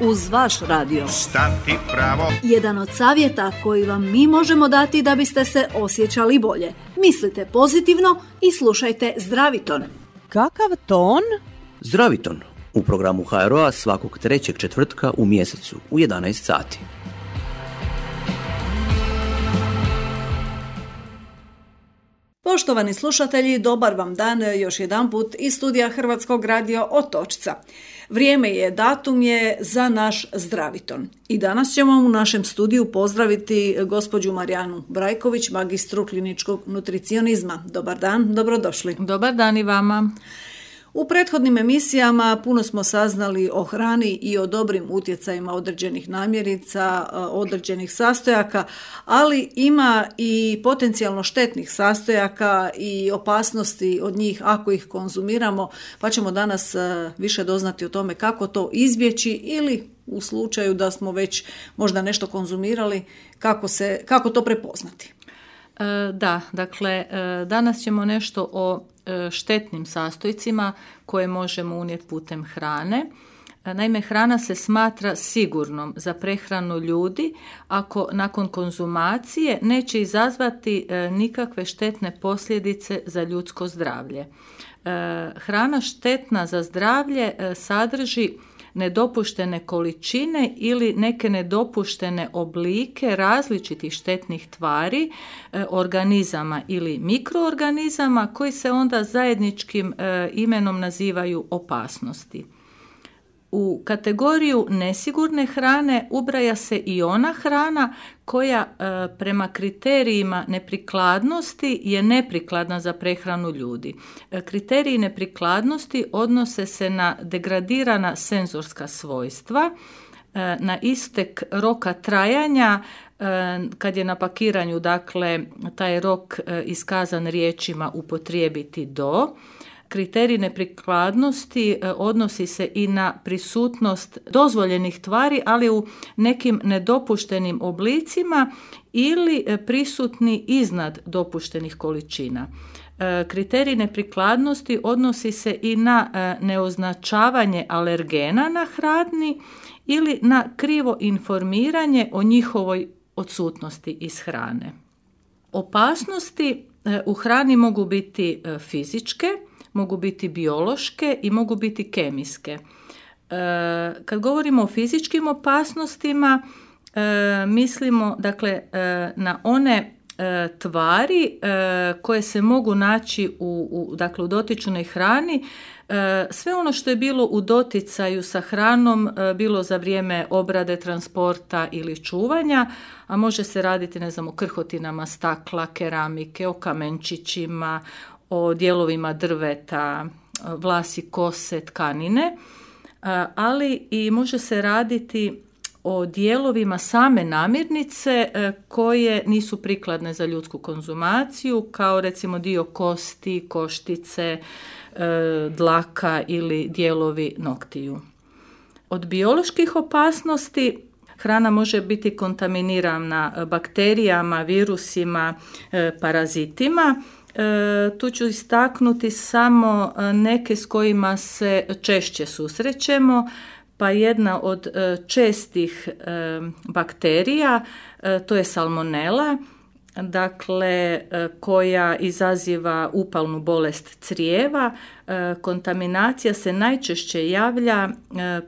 uz vaš radio. Stati pravo. Jedan od savjeta koji vam mi možemo dati da biste se osjećali bolje. Mislite pozitivno i slušajte Zdraviton. Kakav ton? Zdraviton u programu HRO-a svakog trećeg četvrtka u mjesecu u 11 sati. Poštovani slušatelji, dobar vam dan još jedanput iz studija Hrvatskog radija Otočca. Vrijeme je, datum je za naš Zdraviton. I danas ćemo u našem studiju pozdraviti gospođu Marijanu Brajković, magistru kliničkog nutricionizma. Dobar dan, dobrodošli. Dobar dan i vama. U prethodnim emisijama puno smo saznali o hrani i o dobrim utjecajima određenih namirnica, određenih sastojaka, ali ima i potencijalno štetnih sastojaka i opasnosti od njih ako ih konzumiramo, pa ćemo danas više doznati o tome kako to izbjeći ili u slučaju da smo već možda nešto konzumirali, kako to prepoznati. Da, dakle, danas ćemo nešto o štetnim sastojcima koje možemo unijeti putem hrane. Naime, hrana se smatra sigurnom za prehranu ljudi ako nakon konzumacije neće izazvati nikakve štetne posljedice za ljudsko zdravlje. Hrana štetna za zdravlje sadrži nedopuštene količine ili neke nedopuštene oblike različitih štetnih tvari, organizama ili mikroorganizama koji se onda zajedničkim imenom nazivaju opasnosti. U kategoriju nesigurne hrane ubraja se i ona hrana koja prema kriterijima neprikladnosti je neprikladna za prehranu ljudi. Kriteriji neprikladnosti odnose se na degradirana senzorska svojstva, na istek roka trajanja, kad je na pakiranju, dakle, taj rok iskazan riječima upotrijebiti do. Kriterij neprikladnosti odnosi se i na prisutnost dozvoljenih tvari, ali u nekim nedopuštenim oblicima ili prisutni iznad dopuštenih količina. Kriterij neprikladnosti odnosi se i na neoznačavanje alergena na hrani ili na krivo informiranje o njihovoj odsutnosti iz hrane. Opasnosti u hrani mogu biti fizičke, mogu biti biološke i mogu biti kemijske. Kad govorimo o fizičkim opasnostima, mislimo, dakle, na one tvari koje se mogu naći u dotičnoj hrani. Sve ono što je bilo u doticaju sa hranom, bilo za vrijeme obrade, transporta ili čuvanja, a može se raditi, o krhotinama stakla, keramike, o kamenčićima, o dijelovima drveta, vlasi, kose, tkanine, ali i može se raditi o dijelovima same namirnice koje nisu prikladne za ljudsku konzumaciju, kao recimo dio kosti, koštice, dlaka ili dijelovi noktiju. Od bioloških opasnosti hrana može biti kontaminirana bakterijama, virusima, parazitima. Tu ću istaknuti samo neke s kojima se češće susrećemo, pa jedna od čestih bakterija, to je salmonela, dakle, koja izaziva upalnu bolest crijeva. Kontaminacija se najčešće javlja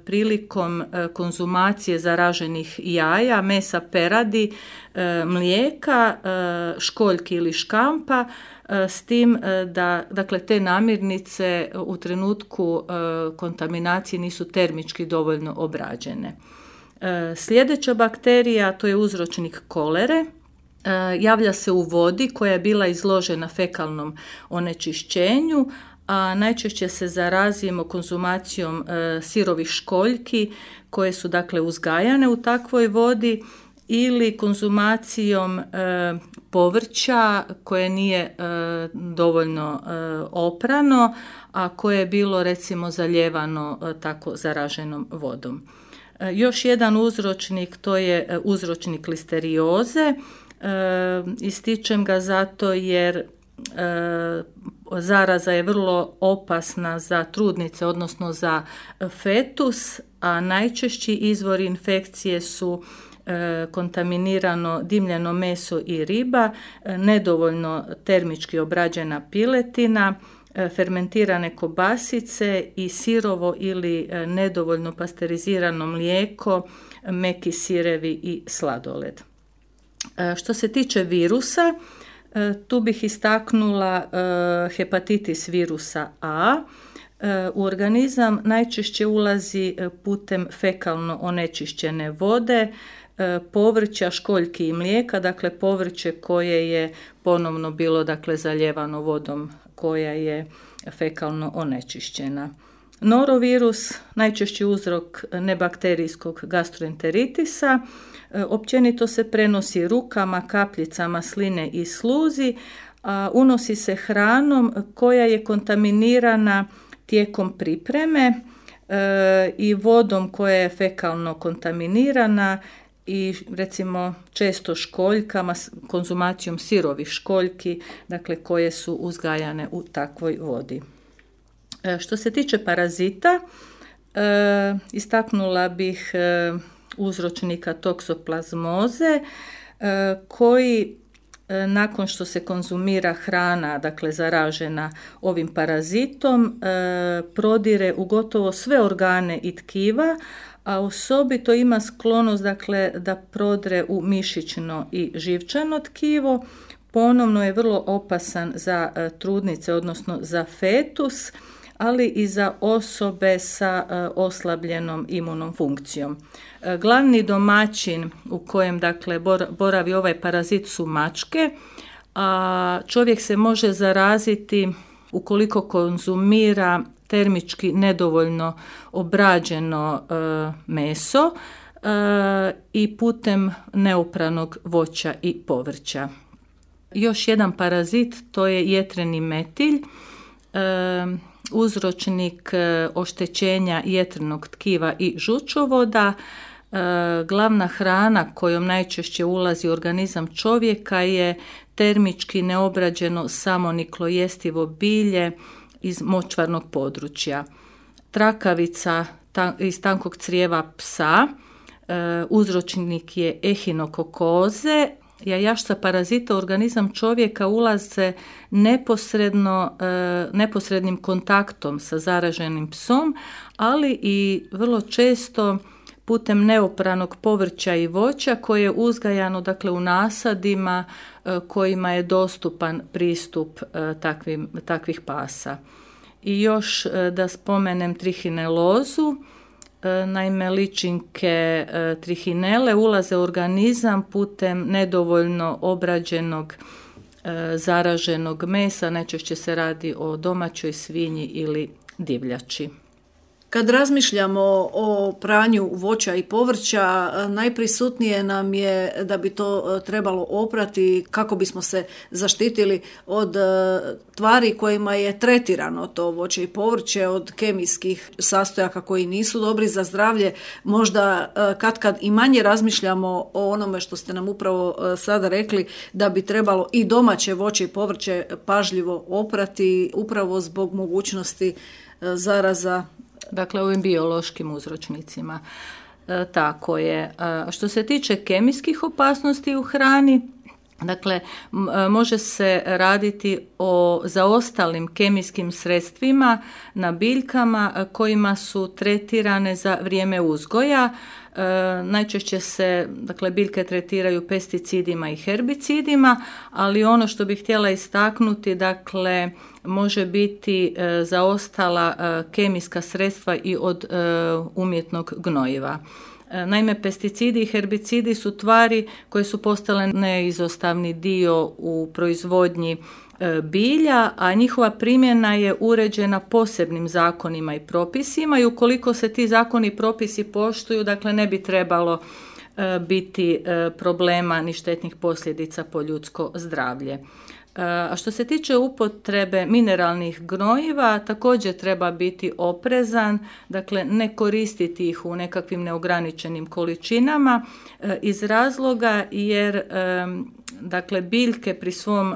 prilikom konzumacije zaraženih jaja, mesa peradi, mlijeka, školjki ili škampa, s tim da, dakle, te namirnice u trenutku kontaminacije nisu termički dovoljno obrađene. Sljedeća bakterija, to je uzročnik kolere. Javlja se u vodi koja je bila izložena fekalnom onečišćenju, a najčešće se zarazimo konzumacijom sirovih školjki koje su, dakle, uzgajane u takvoj vodi ili konzumacijom povrća koje nije dovoljno oprano, a koje je bilo, recimo, zalijevano tako zaraženom vodom. Još jedan uzročnik, to je uzročnik listerioze. Ističem ga zato jer Zaraza je vrlo opasna za trudnice, odnosno za fetus, a najčešći izvori infekcije su kontaminirano dimljeno meso i riba, nedovoljno termički obrađena piletina, fermentirane kobasice i sirovo ili nedovoljno pasterizirano mlijeko, meki sirevi i sladoled. Što se tiče virusa, tu bih istaknula hepatitis virusa A. U organizam najčešće ulazi putem fekalno onečišćene vode, povrća, školjki i mlijeka, dakle povrće koje je ponovno bilo zalijevano vodom koja je fekalno onečišćena. Norovirus, najčešći uzrok nebakterijskog gastroenteritisa, općenito se prenosi rukama, kapljicama sline i sluzi, a unosi se hranom koja je kontaminirana tijekom pripreme i vodom koja je fekalno kontaminirana i recimo često školjkama, konzumacijom sirovih školjki, dakle koje su uzgajane u takvoj vodi. Što se tiče parazita, istaknula bih uzročnika toksoplazmoze koji nakon što se konzumira hrana, dakle zaražena ovim parazitom, prodire u gotovo sve organe i tkiva, a osobito ima sklonost da prodre u mišićno i živčano tkivo. Ponovno je vrlo opasan za trudnice, odnosno za fetus, ali i za osobe sa oslabljenom imunom funkcijom. Glavni domaćin u kojem boravi ovaj parazit su mačke, a čovjek se može zaraziti ukoliko konzumira termički nedovoljno obrađeno meso i putem neopranog voća i povrća. Još jedan parazit, to je jetreni metilj, uzročnik oštećenja jetrenog tkiva i žučovoda. Glavna hrana kojom najčešće ulazi u organizam čovjeka je termički neobrađeno samoniklo jestivo bilje iz močvarnog područja. Trakavica iz tankog crijeva psa, uzročnik je ehinokokoze. Jajašca parazita u organizam čovjeka ulaze neposrednim kontaktom sa zaraženim psom, ali i vrlo često putem neopranog povrća i voća koje je uzgajano u nasadima kojima je dostupan pristup takvih pasa. I još da spomenem trihinelozu. Naime, ličinke trihinele ulaze u organizam putem nedovoljno obrađenog zaraženog mesa, najčešće se radi o domaćoj svinji ili divljači. Kad razmišljamo o pranju voća i povrća, najprisutnije nam je da bi to trebalo oprati kako bismo se zaštitili od tvari kojima je tretirano to voće i povrće, od kemijskih sastojaka koji nisu dobri za zdravlje. Možda kad i manje razmišljamo o onome što ste nam upravo sada rekli, da bi trebalo i domaće voće i povrće pažljivo oprati upravo zbog mogućnosti zaraza. Dakle, ovim biološkim uzročnicima. Tako je. Što se tiče kemijskih opasnosti u hrani, može se raditi o zaostalim kemijskim sredstvima na biljkama kojima su tretirane za vrijeme uzgoja. Najčešće se biljke tretiraju pesticidima i herbicidima, ali ono što bih htjela istaknuti, može biti zaostala kemijska sredstva i od umjetnog gnojiva. Naime, pesticidi i herbicidi su tvari koje su postale neizostavni dio u proizvodnji bilja, a njihova primjena je uređena posebnim zakonima i propisima i ukoliko se ti zakoni i propisi poštuju, ne bi trebalo biti problema ni štetnih posljedica po ljudsko zdravlje. A što se tiče upotrebe mineralnih gnojiva, također treba biti oprezan, dakle ne koristiti ih u nekakvim neograničenim količinama iz razloga jer dakle biljke pri svom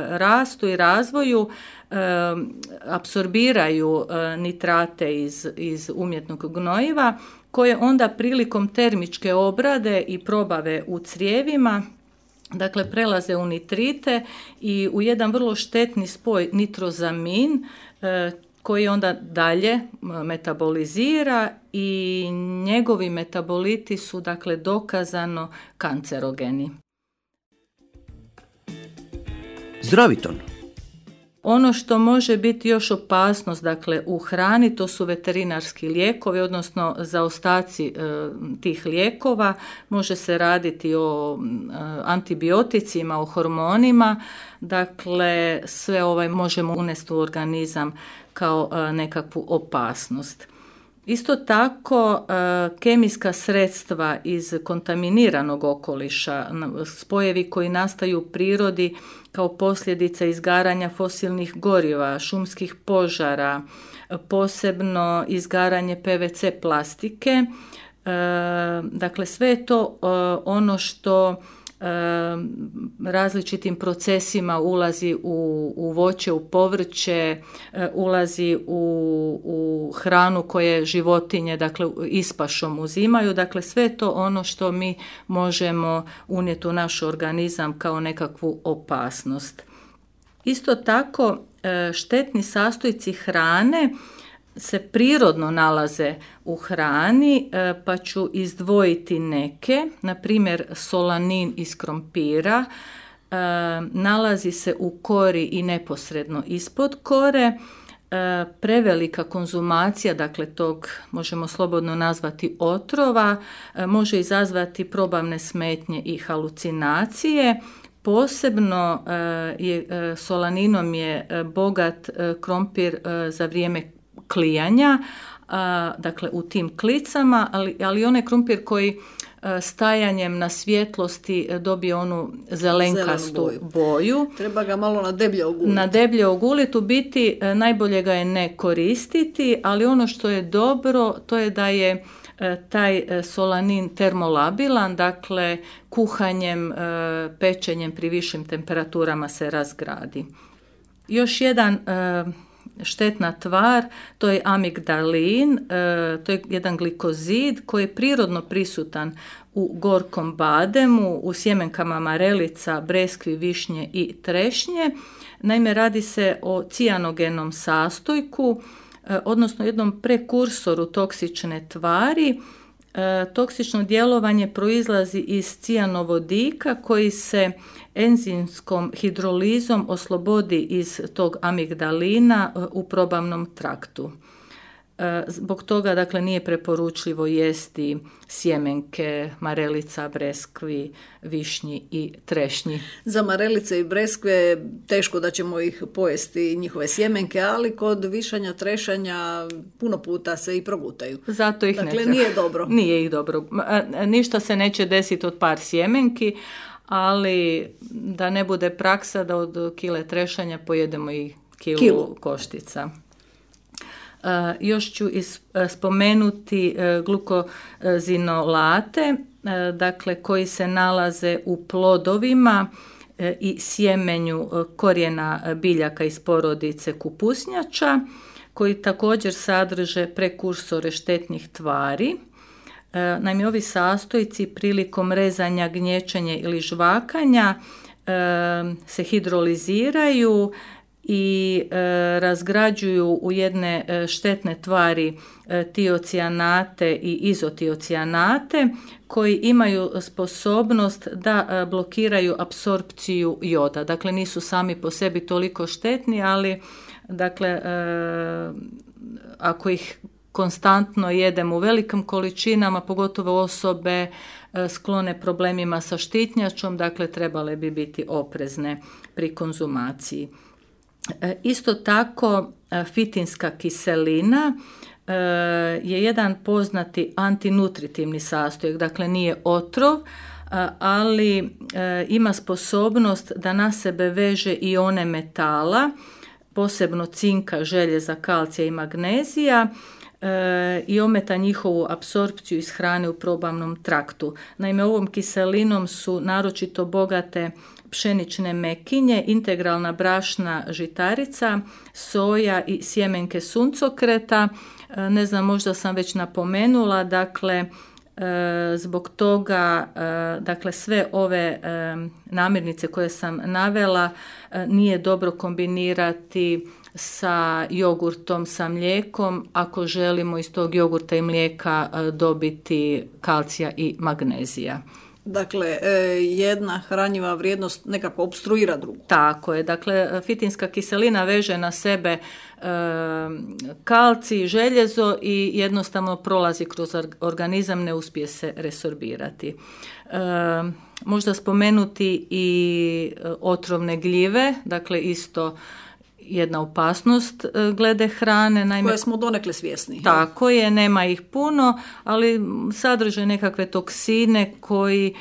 rastu i razvoju apsorbiraju nitrate iz umjetnog gnojiva koje onda prilikom termičke obrade i probave u crijevima dakle prelaze u nitrite i u jedan vrlo štetni spoj nitrozamin koji onda dalje metabolizira i njegovi metaboliti su dakle dokazano kancerogeni. Zdraviton. Ono što može biti još opasnost dakle, u hrani, to su veterinarski lijekovi, odnosno zaostaci tih lijekova. Može se raditi o antibioticima, o hormonima, dakle sve možemo unesti u organizam kao nekakvu opasnost. Isto tako, kemijska sredstva iz kontaminiranog okoliša, spojevi koji nastaju u prirodi kao posljedica izgaranja fosilnih goriva, šumskih požara, posebno izgaranje PVC plastike, dakle sve je to ono što različitim procesima ulazi u voće, u povrće, ulazi u hranu koje životinje dakle ispašom uzimaju, dakle sve je to ono što mi možemo unijeti u naš organizam kao nekakvu opasnost. Isto tako štetni sastojci hrane se prirodno nalaze u hrani, pa ću izdvojiti neke, na primjer solanin iz krompira, nalazi se u kori i neposredno ispod kore. Prevelika konzumacija, dakle tog možemo slobodno nazvati otrova, može izazvati probavne smetnje i halucinacije. Posebno solaninom je bogat krompir za vrijeme klijanja, dakle u tim klicama, ali onaj krumpir koji stajanjem na svjetlosti dobije onu zelenkastu boju. Treba ga malo na deblje oguliti. Na deblje oguliti, u biti najbolje ga je ne koristiti, ali ono što je dobro to je da je taj solanin termolabilan, dakle kuhanjem, pečenjem pri višim temperaturama se razgradi. Još jedan štetna tvar, to je amigdalin, to je jedan glikozid koji je prirodno prisutan u gorkom bademu, u sjemenkama marelica, breskvi, višnje i trešnje. Naime, radi se o cijanogenom sastojku, odnosno jednom prekursoru toksične tvari. Toksično djelovanje proizlazi izcijanovodika koji se enzimskom hidrolizom oslobodi iz tog amigdalina u probavnom traktu. Zbog toga dakle nije preporučljivo jesti sjemenke marelica, breskvi, višnji i trešnji. Za marelice i breskve teško da ćemo ih pojesti njihove sjemenke, ali kod višanja, trešanja puno puta se i progutaju. Zato ih dakle, nije dobro. Nije ih dobro. Ništa se neće desiti od par sjemenki, ali da ne bude praksa da od kile trešanja pojedemo i kilu koštica. Još ću spomenuti glukozinolate, dakle koji se nalaze u plodovima i sjemenju korijena biljaka iz porodice kupusnjača, koji također sadrže prekursore štetnih tvari. Naime, ovi sastojci prilikom rezanja, gnječenja ili žvakanja se hidroliziraju i razgrađuju u jedne štetne tvari tiocijanate i izotiocijanate koji imaju sposobnost da blokiraju apsorpciju joda. Dakle, nisu sami po sebi toliko štetni, ali dakle, ako ih konstantno jedemo u velikim količinama, pogotovo osobe sklone problemima sa štitnjačom, dakle trebale bi biti oprezne pri konzumaciji. Isto tako fitinska kiselina je jedan poznati antinutritivni sastojak, dakle nije otrov, ali ima sposobnost da na sebe veže ione metala, posebno cinka, željeza, kalcija i magnezija, i ometa njihovu apsorpciju iz hrane u probavnom traktu. Naime, ovom kiselinom su naročito bogate pšenične mekinje, integralna brašna žitarica, soja i sjemenke suncokreta. Ne znam, možda sam već napomenula, dakle, zbog toga, dakle, sve ove namirnice koje sam navela nije dobro kombinirati sa jogurtom, sa mlijekom, ako želimo iz tog jogurta i mlijeka dobiti kalcija i magnezija. Dakle, jedna hranjiva vrijednost nekako opstruira drugu. Tako je, dakle, fitinska kiselina veže na sebe kalcij, željezo i jednostavno prolazi kroz organizam, ne uspije se resorbirati. Možda spomenuti i otrovne gljive, dakle isto jedna opasnost glede hrane. Naime, koje smo donekle svjesni. Tako je, nema ih puno, ali sadrže nekakve toksine koji,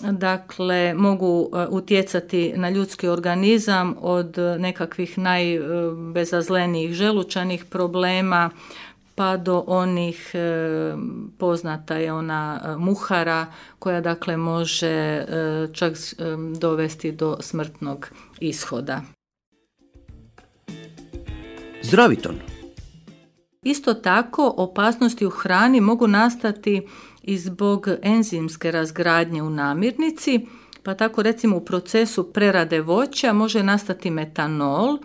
dakle, mogu utjecati na ljudski organizam od nekakvih najbezazlenijih želučanih problema pa do onih, poznata je ona muhara koja, dakle, može čak dovesti do smrtnog ishoda. Zdraviton. Isto tako, opasnosti u hrani mogu nastati i zbog enzimske razgradnje u namirnici, pa tako recimo u procesu prerade voća može nastati metanol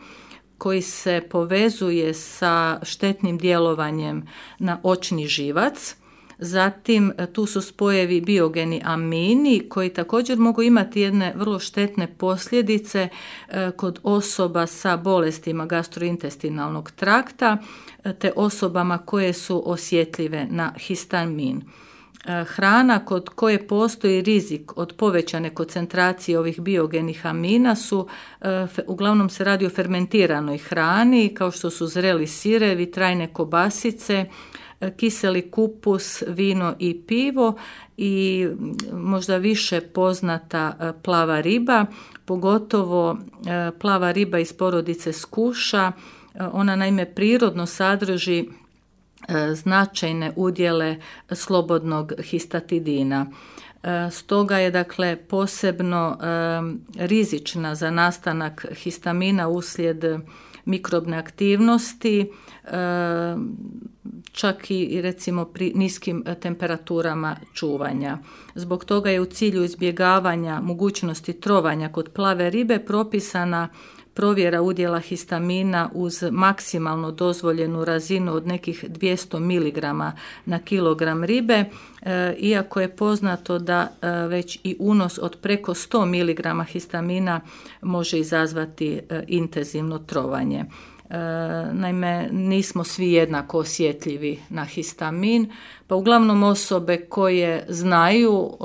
koji se povezuje sa štetnim djelovanjem na očni živac. Zatim tu su spojevi biogeni amini koji također mogu imati jedne vrlo štetne posljedice kod osoba sa bolestima gastrointestinalnog trakta te osobama koje su osjetljive na histamin. Hrana kod koje postoji rizik od povećane koncentracije ovih biogenih amina su, uglavnom se radi o fermentiranoj hrani, kao što su zreli sirevi, trajne kobasice, kiseli kupus, vino i pivo i možda više poznata plava riba, pogotovo plava riba iz porodice skuša. Ona naime prirodno sadrži značajne udjele slobodnog histatidina. Stoga je, dakle, posebno rizična za nastanak histamina uslijed mikrobne aktivnosti, čak i recimo pri niskim temperaturama čuvanja. Zbog toga je u cilju izbjegavanja mogućnosti trovanja kod plave ribe propisana provjera udjela histamina uz maksimalno dozvoljenu razinu od nekih 200 mg na kilogram ribe, iako je poznato da već i unos od preko 100 mg histamina može izazvati intenzivno trovanje. Naime, nismo svi jednako osjetljivi na histamin, pa uglavnom osobe koje znaju,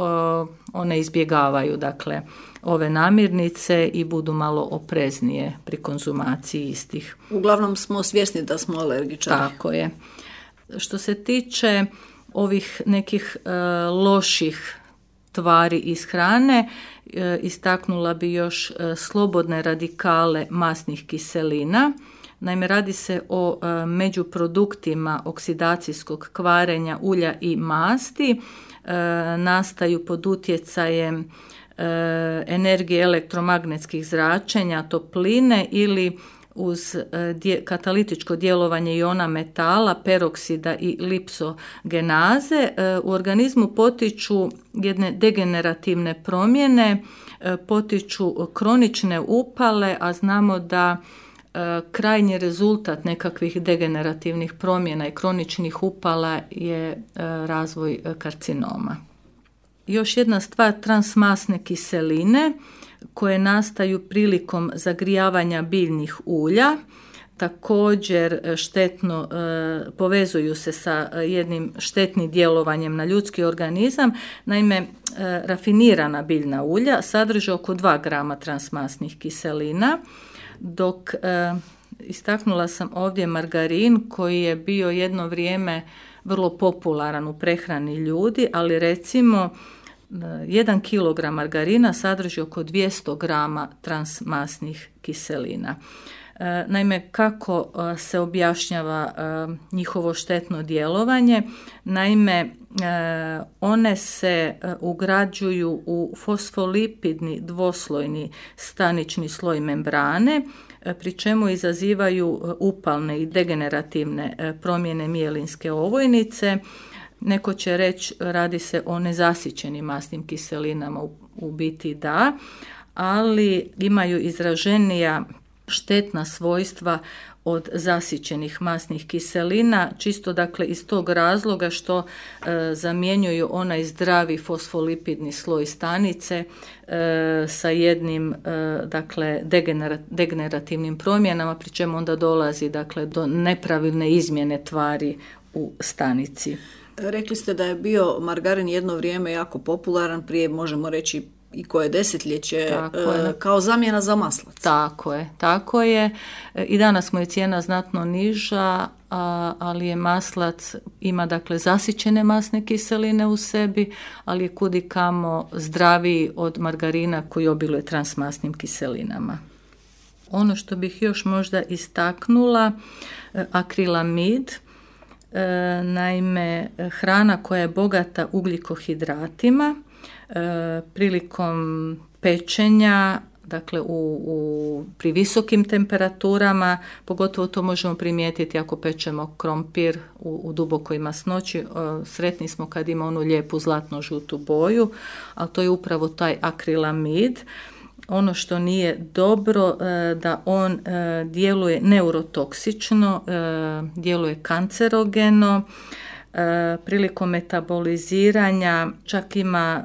one izbjegavaju, dakle, ove namirnice i budu malo opreznije pri konzumaciji istih. Uglavnom smo svjesni da smo alergičari. Tako je. Što se tiče ovih nekih loših tvari iz hrane, istaknula bi još slobodne radikale masnih kiselina. Naime, radi se o međuproduktima oksidacijskog kvarenja ulja i masti, nastaju pod utjecajem energije elektromagnetskih zračenja, topline ili uz katalitičko djelovanje iona metala, peroksida i lipsogenaze. U organizmu potiču jedne degenerativne promjene, potiču kronične upale, a znamo da krajnji rezultat nekakvih degenerativnih promjena i kroničnih upala je razvoj karcinoma. Još jedna stvar, transmasne kiseline koje nastaju prilikom zagrijavanja biljnih ulja, također štetno povezuju se sa jednim štetnim djelovanjem na ljudski organizam. Naime, rafinirana biljna ulja sadrže oko 2 grama transmasnih kiselina, dok istaknula sam ovdje margarin koji je bio jedno vrijeme vrlo popularan u prehrani ljudi, ali recimo 1 kg margarina sadrži oko 200 grama transmasnih kiselina. Naime, kako se objašnjava njihovo štetno djelovanje? Naime, one se ugrađuju u fosfolipidni dvoslojni stanični sloj membrane, pri čemu izazivaju upalne i degenerativne promjene mijelinske ovojnice. Neko će reći radi se o nezasićenim masnim kiselinama, u biti da, ali imaju izraženija štetna svojstva od zasićenih masnih kiselina, čisto dakle iz tog razloga što zamjenjuju onaj zdravi fosfolipidni sloj stanice sa jednim dakle degenerativnim promjenama, pri čemu onda dolazi dakle do nepravilne izmjene tvari u stanici. Rekli ste da je bio margarin jedno vrijeme jako popularan, prije možemo reći i koje desetljeće, kao zamjena za maslac. Tako je. I danas mu je cijena znatno niža, ali je maslac, ima dakle zasićene masne kiseline u sebi, ali je kudikamo zdraviji od margarina koji obiluje transmasnim kiselinama. Ono što bih još možda istaknula, akrilamid, naime hrana koja je bogata ugljikohidratima, prilikom pečenja, dakle pri visokim temperaturama, pogotovo to možemo primijetiti ako pečemo krompir u dubokoj masnoći, sretni smo kad ima onu lijepu zlatno-žutu boju, ali to je upravo taj akrilamid. Ono što nije dobro, da on djeluje neurotoksično, djeluje kancerogeno, prilikom metaboliziranja čak ima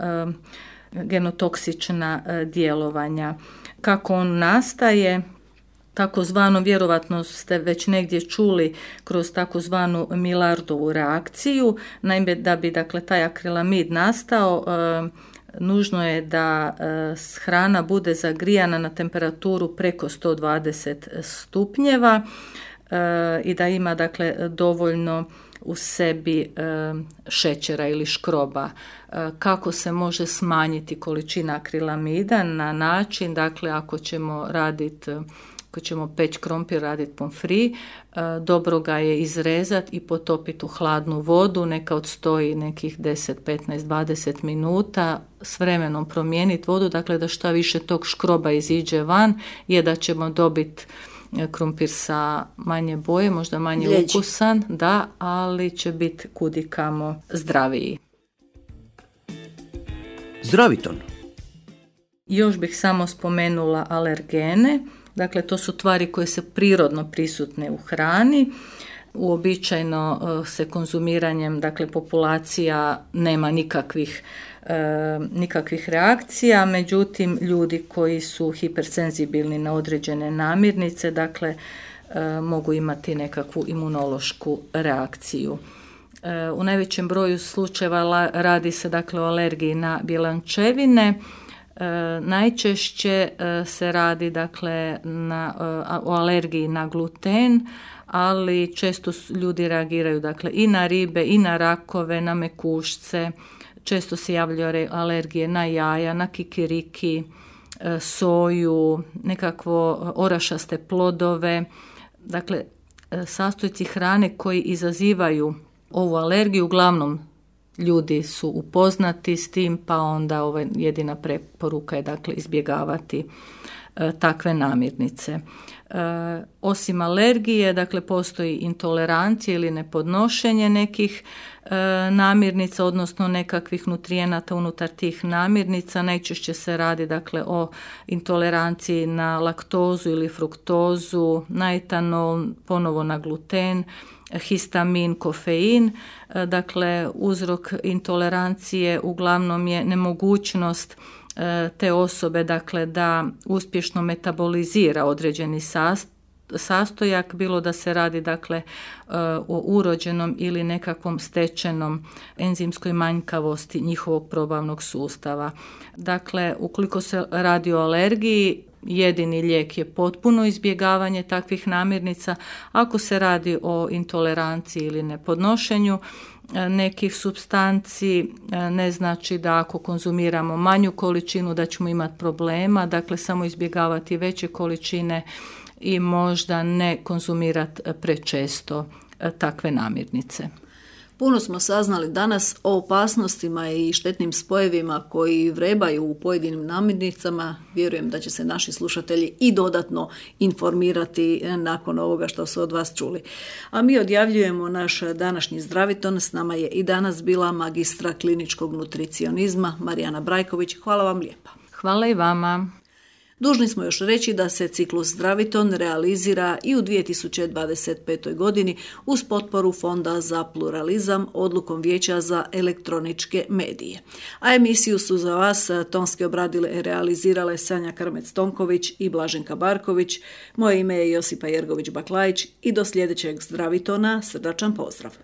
genotoksična djelovanja. Kako on nastaje? Takozvano, vjerovatno ste već negdje čuli, kroz takozvanu Millardovu reakciju. Naime, da bi dakle taj akrilamid nastao, nužno je da hrana bude zagrijana na temperaturu preko 120 stupnjeva i da ima dakle dovoljno u sebi šećera ili škroba. Kako se može smanjiti količina akrilamida? Na način, dakle, ako ćemo peći krompir, raditi pomfri, dobro ga je izrezati i potopiti u hladnu vodu, neka odstoji nekih 10, 15, 20 minuta, s vremenom promijeniti vodu, dakle da šta više tog škroba iziđe van, je da ćemo dobiti krumpir sa manje boje, možda manje ukusan, da, ali će biti kudikamo zdraviji. Zdraviton. Još bih samo spomenula alergene. Dakle, to su tvari koje su prirodno prisutne u hrani. Uobičajeno se konzumiranjem, dakle, populacija nema nikakvih reakcija, međutim, ljudi koji su hipersenzibilni na određene namirnice, dakle, mogu imati nekakvu imunološku reakciju. U najvećem broju slučajeva radi se, dakle, o alergiji na bjelančevine. Najčešće se radi, dakle, o alergiji na gluten, ali često ljudi reagiraju, dakle, i na ribe, i na rakove, na mekušce. Često se javljaju alergije na jaja, na kikiriki, soju, nekakvo orašaste plodove. Dakle, sastojci hrane koji izazivaju ovu alergiju, uglavnom ljudi su upoznati s tim, pa onda jedina preporuka je, dakle, izbjegavati takve namirnice. Osim alergije, dakle, postoji intolerancija ili nepodnošenje nekih namirnica, odnosno nekakvih nutrijenata unutar tih namirnica. Najčešće se radi, dakle, o intoleranciji na laktozu ili fruktozu, na etanol, ponovo na gluten, histamin, kofein. Dakle, uzrok intolerancije uglavnom je nemogućnost te osobe, dakle, da uspješno metabolizira određeni sastojak, bilo da se radi, dakle, o urođenom ili nekakvom stečenom enzimskoj manjkavosti njihovog probavnog sustava. Dakle, ukoliko se radi o alergiji, jedini lijek je potpuno izbjegavanje takvih namirnica. Ako se radi o intoleranciji ili nepodnošenju nekih supstanci, ne znači da ako konzumiramo manju količinu da ćemo imati problema, dakle samo izbjegavati veće količine i možda ne konzumirati prečesto takve namirnice. Puno smo saznali danas o opasnostima i štetnim spojevima koji vrebaju u pojedinim namirnicama. Vjerujem da će se naši slušatelji i dodatno informirati nakon ovoga što su od vas čuli. A mi odjavljujemo naš današnji zdraviton. S nama je i danas bila magistra kliničkog nutricionizma Marijana Brajković. Hvala vam lijepa. Hvala i vama. Dužni smo još reći da se ciklus Zdraviton realizira i u 2025. godini uz potporu Fonda za pluralizam odlukom Vijeća za elektroničke medije. A emisiju su za vas tonski obradile i realizirale Sanja Krmec-Tonković i Blaženka Barković. Moje ime je Josipa Jergović-Baklajić i do sljedećeg Zdravitona srdačan pozdrav.